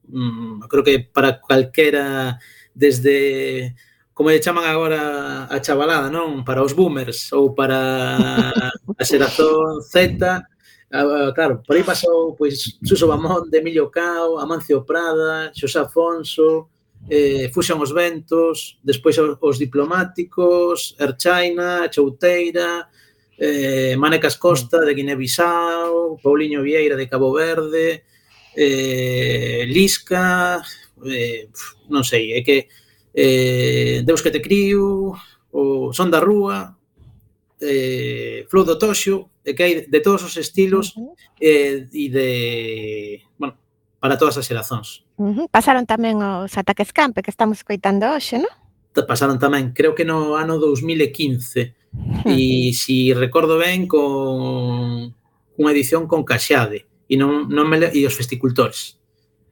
mm, creo que para calquera, desde como lle chaman agora a chavalada, non? Para os boomers ou para a xeración Z, ah, claro, por aí pasou pois Suso Bamonde, Emilio Cao, Amancio Prada, Xosé Afonso, eh, Fuxan os ventos, despois os, os diplomáticos, Erchaina, Chouteira, eh, Manecas Costa de Guinea-Bissau, Pauliño Vieira de Cabo Verde, eh, Lisca, eh, non sei, é que eh, Deus que te crío, o Son da Rúa, eh, Flow do Toxo, e que hai de todos os estilos eh, e de, bueno, para todas as xerazóns. Uh-huh. Pasaron tamén os Ataques Campe que estamos escoitando hoxe, non? Pasaron tamén, creo que no ano dos mil e quince, e si recordo ben, con unha edición con Caxade e non, non me le, e os Festicultores.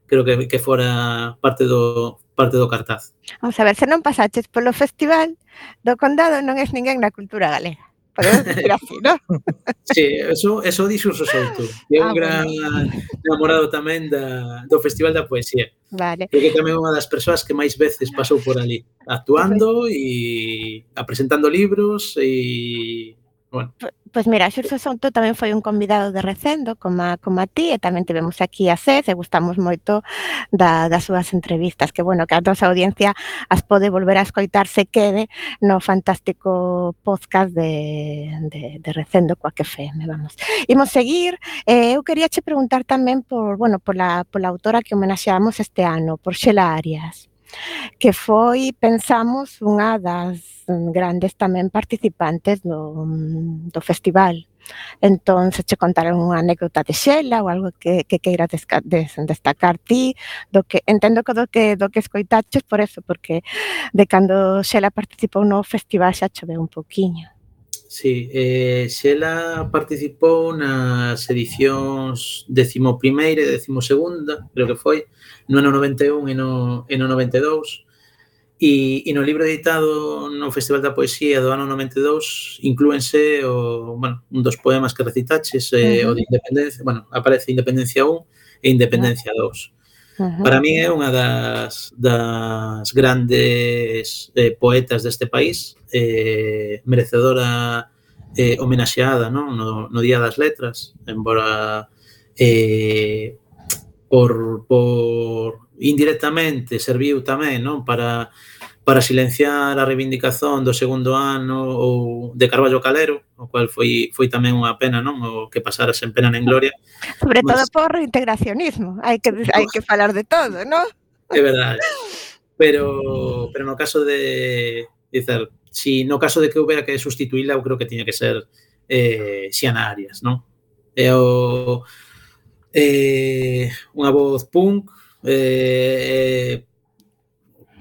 Creo que, que fora parte do parte do cartaz. Vamos a ver, se non pasaches polo festival do Condado non és ninguén na cultura galega. Podemos decir así, non? Sí, eso, eso dixo o Souto, que é un Ah, gran bueno. namorado tamén da, do Festival da Poesía. Vale. Creo que tamén é unha das persoas que máis veces pasou por ali, actuando e apresentando libros e, bueno. Pois mira, Xurxo Souto tamén foi un convidado de Recendo, como a, como a ti, e tamén tivemos aquí a Cés, e gustamos moito da, das súas entrevistas, que, bueno, que a nosa audiencia as pode volver a escoitar se quede no fantástico podcast de, de, de Recendo coa que F M, vamos. Imos seguir, eh, eu quería che preguntar tamén por, bueno, pola, pola autora que homenaxeamos este ano, por Xela Arias, que foi, pensamos, unha das grandes tamén participantes do, do festival. Entón, se che contaron unha anécdota de Xela ou algo que, que queiras desca, des, destacar ti, do que entendo que do que do que escoitaches por eso, porque de cando Xela participou no festival xa choveu un pouquiño. Sí, eh, Xela participou nas edicións décimo primeira e décimo segunda, creo que foi, no ano noventa e un e no, e no noventa e dous, e, e no libro editado no Festival da Poesía do ano noventa e dous inclúense o, bueno, un dos poemas que recitaches, eh, uh-huh. o de Independencia, bueno, aparece Independencia un e Independencia dous. Uh-huh. Para mí é unha das, das grandes eh, poetas deste país, eh, merecedora eh, homenaxeada, non? No, no Día das Letras, embora eh, por, por indirectamente serviu tamén, non? Para, para silenciar a reivindicación do segundo ano ou de Carballo Calero, o cual foi, foi tamén unha pena, non? O que pasara sen pena nen gloria. Sobre Mas, todo por reintegracionismo, hai que, hai que falar de todo, non? É verdade. Pero, pero no caso de, dicer, si no caso de que houbera que sustituíla, eu creo que tiña que ser eh, Xiana Arias, non? É o eh, unha voz punk, eh,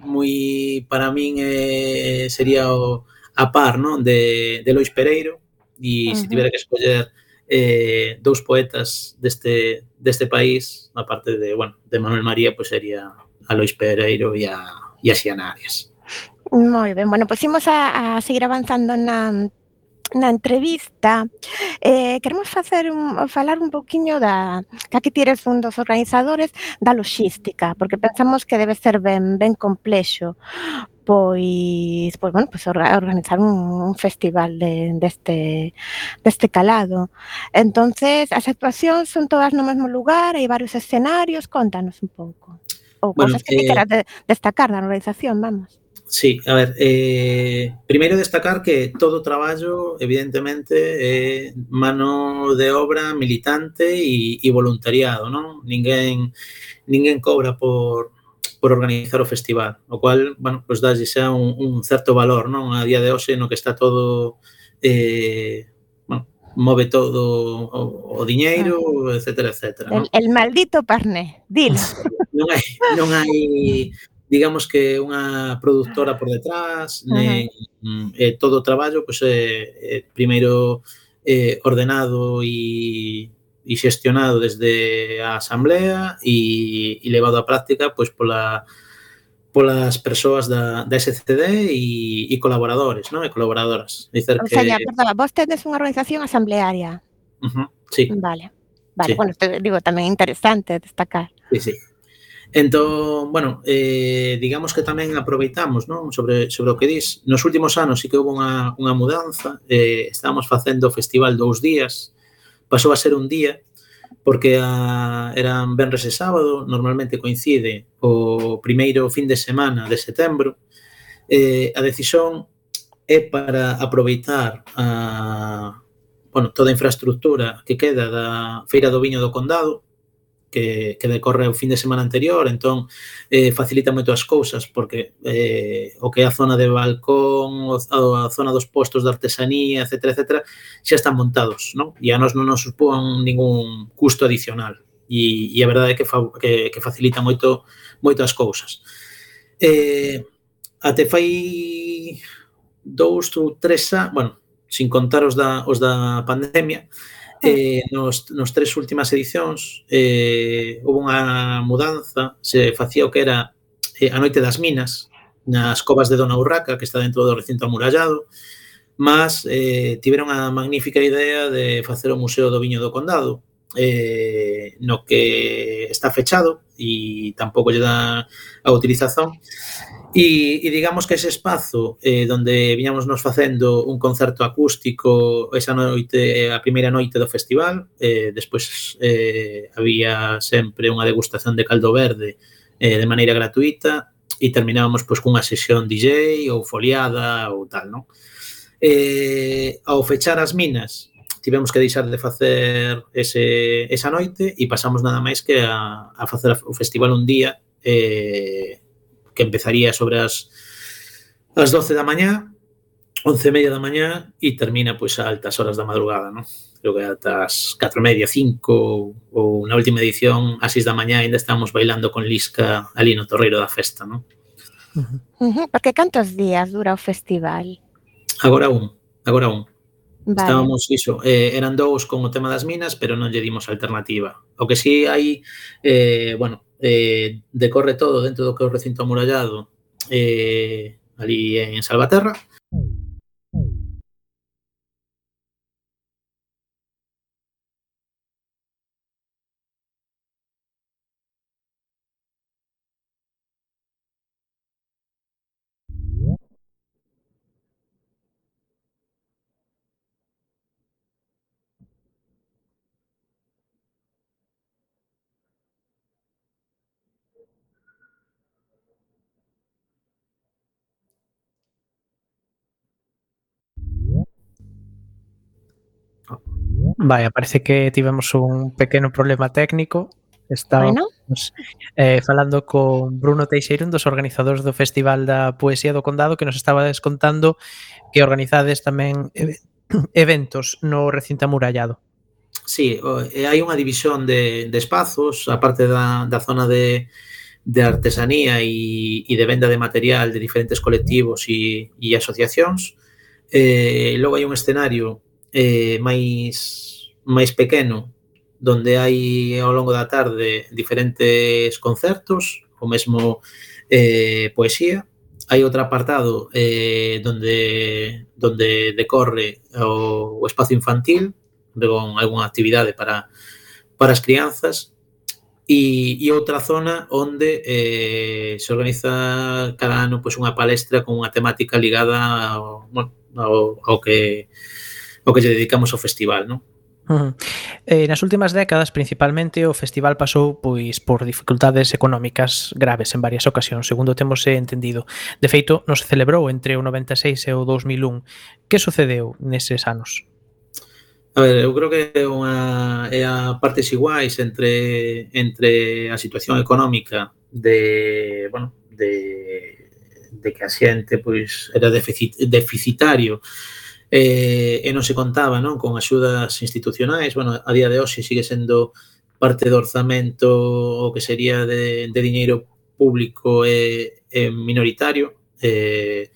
moi, para min eh, sería o, a par, non? De, de Lois Pereiro, e uh-huh. se tivera que escoller eh, dous poetas deste, deste país, a parte de, bueno, de Manuel María, pues sería a Lois Pereiro e a, e a Xiana Arias. Moi ben, bueno, pois pues imos a, a seguir avanzando na na entrevista. Eh, queremos facer un, falar un pouquiño da, que aquí tires un dos organizadores da loxística, porque pensamos que debe ser ben, ben complexo pois, pois, bueno, pois organizar un, un festival de, deste, deste calado. Entonces, as actuacións son todas no mesmo lugar, hai varios escenarios, contanos un pouco. Ou bueno, cosas que eh, queras de, destacar da organización, vamos. Sí, a ver, eh, primeiro destacar que todo o traballo, evidentemente, é mano de obra militante e, e voluntariado, non? Ninguén, ninguén cobra por, por organizar o festival, o cual, bueno, pues dálle xa un, un certo valor, non? A día de hoxe no que está todo, eh, bueno, move todo o, o diñeiro, ah. etcétera, etcétera. El, el maldito parné, dilo. Non hai, non hai digamos que unha produtora por detrás, uh-huh. ne, eh, todo o traballo pues, eh, eh, primeiro eh, ordenado e, e xestionado desde a asamblea e, e levado á práctica pues, pola, polas persoas da, da S C D e, e colaboradores, non? E colaboradoras. Dicer o sea, que... perdón, vos tedes unha organización asamblearia. Uh-huh, sí. Vale, vale. Sí. Bueno, te digo, tamén interesante destacar. Sí, sí. Entón, bueno, eh, digamos que tamén aproveitamos, non? Sobre, sobre o que dis. Nos últimos anos sí que houve unha, unha mudanza, eh, estábamos facendo o festival dous días, pasou a ser un día, porque a, eran venres e sábado, normalmente coincide o primeiro fin de semana de setembro. Eh, a decisión é para aproveitar a, bueno, toda a infraestructura que queda da Feira do Viño do Condado, que, que decorre o fin de semana anterior, entón eh, facilita moito as cousas, porque eh, o que é a zona de balcón, a, a zona dos postos de artesanía, etcétera, etcétera, xa están montados, non? E a nos non nos supón ningún custo adicional. E, e a verdade é que, fa, que, que facilita moito, moito as cousas. Eh, até fai dous ou tres anos, bueno, sin contar os da, os da pandemia, eh, nos, nos tres últimas edicións eh, houve unha mudanza, se facía o que era eh, a Noite das Minas nas covas de Dona Urraca, que está dentro do recinto amurallado, mas eh, tiveron a magnífica idea de facer o Museo do Viño do Condado, eh, no que está fechado e tampouco lle dá a utilización. E, e digamos que ese espazo eh, donde viñamos nos facendo un concerto acústico esa noite, a primeira noite do festival, eh, despois eh, había sempre unha degustación de caldo verde eh, de maneira gratuita e terminábamos pois, cunha sesión D J ou foliada ou tal, non? Eh, ao fechar as minas tivemos que deixar de facer ese, esa noite e pasamos nada máis que a, a facer o festival un día eh, que empezaría sobre as, as doce da mañá, once e media da mañá e termina pois a altas horas da madrugada, non? Creo que ata as catro e media, cinco ou na última edición a seis da mañá ainda estamos bailando con Lisca ali no torreiro da festa, non? Uh-huh. Uh-huh. Porque cantos días dura o festival? Agora un, agora un. Vale. Estábamos iso, eh, eran dous con o tema das minas, pero non lle dimos alternativa. O que sí hai, eh, bueno, eh, decorre todo dentro do que é o recinto amurallado eh, ali en Salvaterra. Vaya, parece que tivemos un pequeno problema técnico. Estábamos bueno. eh, falando con Bruno Teixeira, un dos organizadores do Festival da Poesía do Condado, que nos estaba descontando que organizades tamén eventos no recinto amurallado. Sí, hai unha división de, de espazos, a parte da, da zona de, de artesanía e, e de venda de material de diferentes colectivos e, e asociacións. Eh, logo hai un escenario eh, máis, máis pequeno, donde hai ao longo da tarde diferentes concertos, o mesmo eh, poesía. Hai outro apartado eh, donde, donde decorre o, o espazo infantil, con algunha actividade para, para as crianzas, e, e outra zona onde eh, se organiza cada ano pois, unha palestra con unha temática ligada ao, bueno, ao, ao que ao que lle dedicamos ao festival, non? Uh-huh. Eh, nas últimas décadas, principalmente, o festival pasou pois por dificultades económicas graves en varias ocasións, segundo temos entendido. De feito, non se celebrou entre o noventa e seis e o dos mil un. Que sucedeu neses anos? A ver, eu creo que é unha é a partes iguais entre entre a situación económica de, bueno, de de que a xente pois era deficit, deficitario eh, e non se contaba, non, con axudas institucionais. Bueno, a día de hoxe sigue sendo parte do orzamento o que sería de, de diñeiro público e, e minoritario. Eh,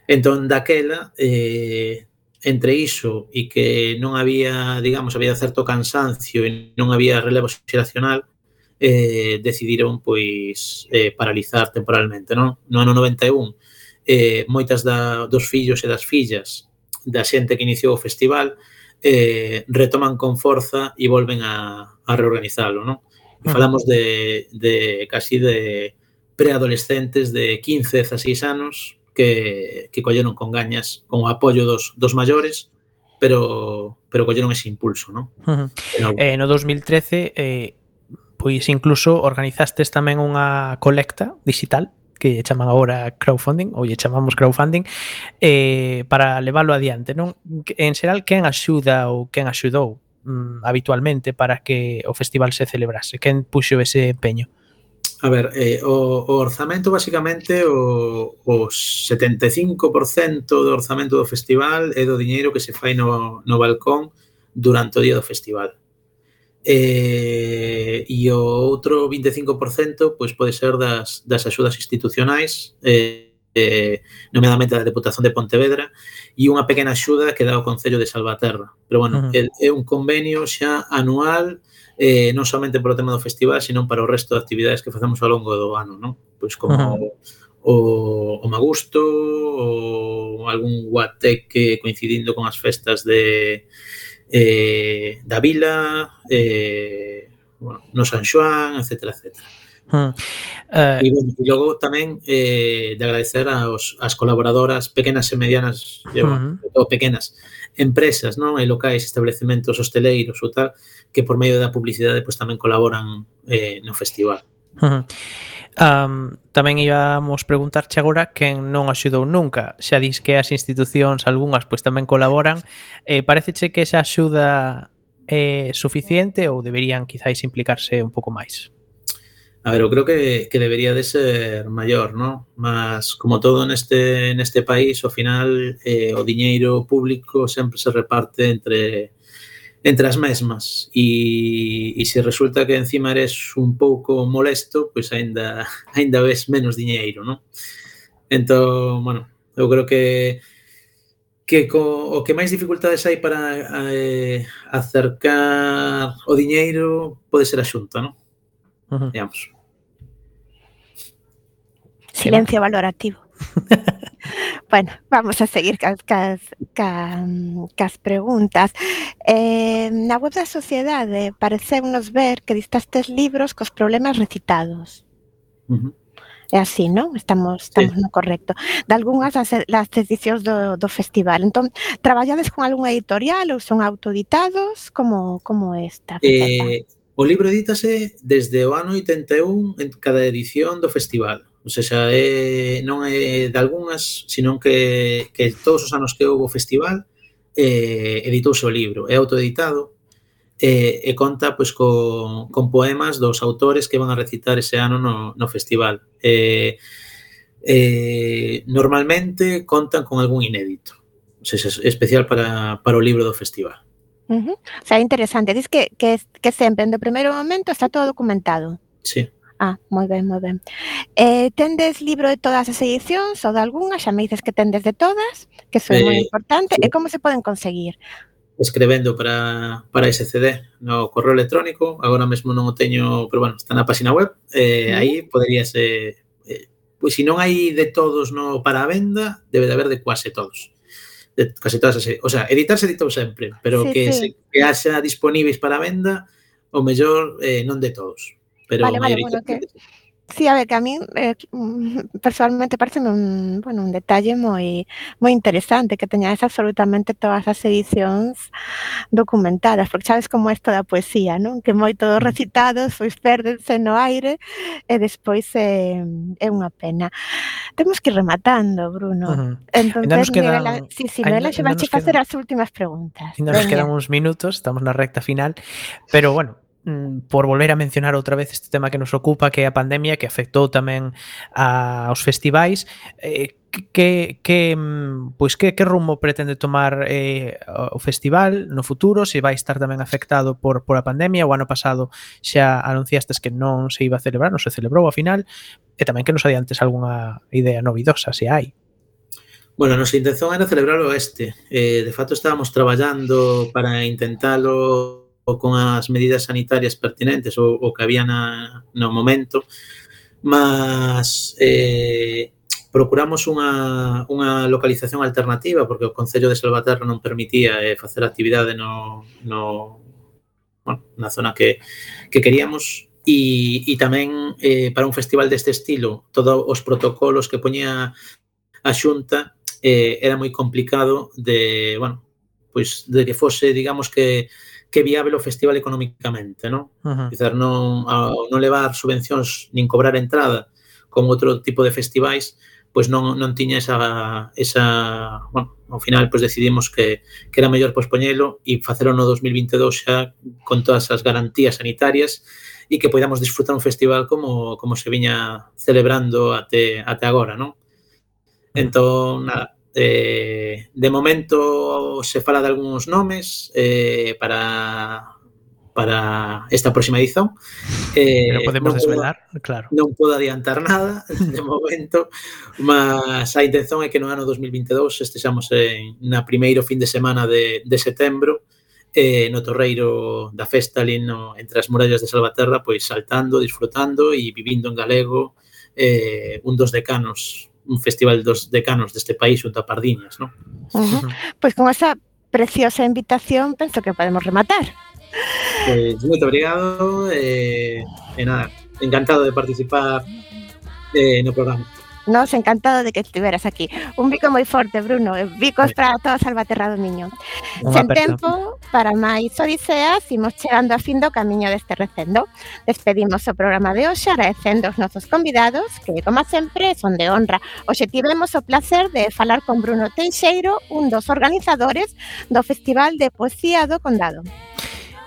entón, daquela, eh, entre iso e que non había, digamos, había certo cansancio e non había relevo xeracional, eh, decidiron, pois, eh, paralizar temporalmente, non? No ano noventa e un, eh, moitas da, dos fillos e das fillas da xente que iniciou o festival eh, retoman con forza e volven a, a reorganizalo, non? E falamos de, de casi de preadolescentes de quince, dezasseis anos que, que colleron con gañas, con o apoio dos, dos maiores, pero, pero colleron ese impulso, ¿no? Uh -huh. No, eh, no dos mil trece, eh, pois incluso organizastes tamén unha colecta digital que chaman agora crowdfunding, ou lle chamamos crowdfunding, eh, para leválo adiante, non? En xeral, quen axuda ou quen axudou mm, habitualmente para que o festival se celebrase? Quen puxo ese empeño? A ver, eh, o, o orzamento, basicamente, o, o setenta e cinco por cento do orzamento do festival é do diñeiro que se fai no, no balcón durante o día do festival. Eh, e o outro vinte e cinco por cento pois pode ser das, das axudas institucionais, eh, eh, nomeadamente da Deputación de Pontevedra, e unha pequena axuda que dá o Concello de Salvaterra. Pero, bueno, uh -huh. é, é un convenio xa anual, eh, non somente polo tema do festival, sino para o resto de actividades que facemos ao longo do ano, non? Pois como uh -huh. o, o Magusto, ou algún guateque coincidindo con as festas de eh, da vila, eh, bueno, no San Xoán, etcétera, etcétera. Hmm. Uh, e, bueno, e logo tamén eh, de agradecer aos, as colaboradoras pequenas e medianas, uh -huh. ou pequenas empresas, non, e locais, establecementos hosteleiros ou tal, que por medio da publicidade pues, tamén colaboran eh, no festival. Uh -huh. Um, tamén íbamos preguntarche agora quen non axudou nunca. Xa dis que as institucións, algunhas, pois tamén colaboran. Eh, pareceche que esa axuda é suficiente ou deberían quizáis implicarse un pouco máis? A ver, eu creo que, que debería de ser maior, ¿no? Mas, como todo neste, neste país, ao final, eh, o diñeiro público sempre se reparte entre entre as mesmas e, e se resulta que encima eres un pouco molesto, pois aínda aínda ves menos diñeiro, ¿no? Entón, bueno, eu creo que que co, o que máis dificultades hai para eh, acercar o diñeiro pode ser a Xunta, ¿no? Uh-huh. Digamos. Silencio valorativo. Bueno, vamos a seguir cas, cas, cas, cas preguntas. Eh, na web da Sociedade pareceunos ver que distastes libros cos problemas recitados. Uh-huh. É así, non? Estamos, estamos sí. no correcto. De algunhas das, das edicións do, do festival. Entón, traballades con algunha editorial ou son autoeditados? Como, como esta? Eh, o libro edítase desde o ano oitenta e un en cada edición do festival. O sea, é, non é de algunhas, sino que, que todos os anos que houve o festival eh, editouse o libro. É autoeditado eh, e conta pois, con, con poemas dos autores que van a recitar ese ano no, no festival. Eh, eh, normalmente contan con algún inédito. O sea, é especial para, para o libro do festival. Uh -huh. O sea, é interesante. Diz que, que, que sempre, no primeiro momento, está todo documentado. Sí. Ah, moi ben, moi ben. Eh, tendes libro de todas as edicións ou de algunhas? Xa me dices que tendes de todas, que iso é eh, moi importante. Sí. E como se poden conseguir? Escrevendo para, para ese C D no correo electrónico. Agora mesmo non o teño, pero bueno, está na página web. Eh, uh -huh. Aí poderíase... Eh, pois se non hai de todos no para a venda, debe de haber de quase todos. De casi todas as, o sea, editar se editou sempre, pero sí, que, sí. Se, que haxa disponíveis para venda, o mellor eh, non de todos. Pero vale, vale, bueno, que... Sí, a ver, que a mí eh, personalmente parece un, bueno, un detalle moi moi interesante que teñades absolutamente todas as edicións documentadas, porque sabes como é isto da poesía, non? Que moi todos recitados, pois pérdense no aire e despois é, é unha pena. Temos que ir rematando, Bruno. Uh -huh. Entonces, quedan, Noela, sí, sí, Noela xe vai facer as últimas preguntas. Ainda nos quedan uns minutos, estamos na recta final, pero bueno, por volver a mencionar outra vez este tema que nos ocupa, que é a pandemia, que afectou tamén aos festivais, eh, que, que, pois que, que rumbo pretende tomar eh, o festival no futuro, se vai estar tamén afectado por, por a pandemia? O ano pasado xa anunciastes que non se iba a celebrar, non se celebrou ao final, e tamén que nos adiantes algunha idea novidosa, se hai. Bueno, nosa intención era celebrarlo este. Eh, de fato, estábamos traballando para intentalo con as medidas sanitarias pertinentes o, o que había na, no momento, mas eh, procuramos unha, unha localización alternativa porque o Concello de Salvaterra non permitía eh, facer actividade no, no, bueno, na zona que, que queríamos e, e tamén eh, para un festival deste estilo todos os protocolos que poñía a Xunta eh, era moi complicado de, bueno, pois de que fose, digamos que que viável o festival económicamente, non? Uh-huh. Dizer, non, ao non levar subvencións nin cobrar entrada con outro tipo de festivais, pois non, non tiña esa, esa, bueno, ao final pois decidimos que, que era mellor pospoñelo e facelo no dos mil vinte e dous xa con todas as garantías sanitarias e que podamos disfrutar un festival como, como se viña celebrando até, até agora, non? Entón, nada, eh, de momento se fala de algúns nomes eh, para para esta próxima edición. Eh, Pero podemos non desvelar, podo, claro. Non podo adiantar nada de momento, mas a intención é que no ano dos mil vinte e dous estexamos en, na primeiro fin de semana de, de setembro eh, no torreiro da festa ali no, entre as murallas de Salvaterra, pois saltando, disfrutando e vivindo en galego eh, un dos decanos un festival dos decanos deste país junto a Pardiñas, non? Uh-huh. Pois con esa preciosa invitación penso que podemos rematar. Pois moito obrigado e, e nada, encantado de participar eh, no programa. Nos encantado de que estiveras aquí. Un bico moi forte, Bruno. Bicos para toda Salvaterra do Miño. Sen tempo para máis odiseas, imos chegando a fin do camiño deste recendo. Despedimos o programa de hoxe agradecendo os nosos convidados, que, como sempre, son de honra. Hoxe tivemos o placer de falar con Bruno Teixeiro, un dos organizadores do Festival de Poesía do Condado.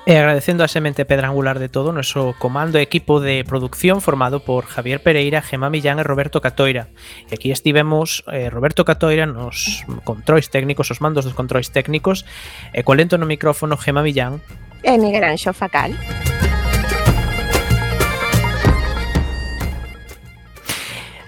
E agradecendo a semente pedra angular de todo o noso comando e equipo de producción formado por Javier Pereira, Gemma Millán e Roberto Catoira. E aquí estivemos eh, Roberto Catoira nos controis técnicos, os mandos dos controis técnicos, e co lento no micrófono Gemma Millán e Miguel Anxo Facal.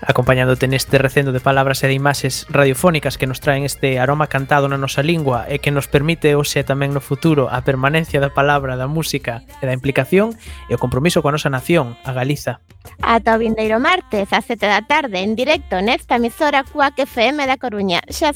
Acompañándote neste recendo de palabras e de imaxes radiofónicas que nos traen este aroma cantado na nosa lingua e que nos permite hoxe tamén no futuro a permanencia da palabra, da música e da implicación e o compromiso coa nosa nación, a Galiza. Ata o vindeiro martes, ás sete da tarde, en directo nesta emisora Cuac F M da Coruña. Xa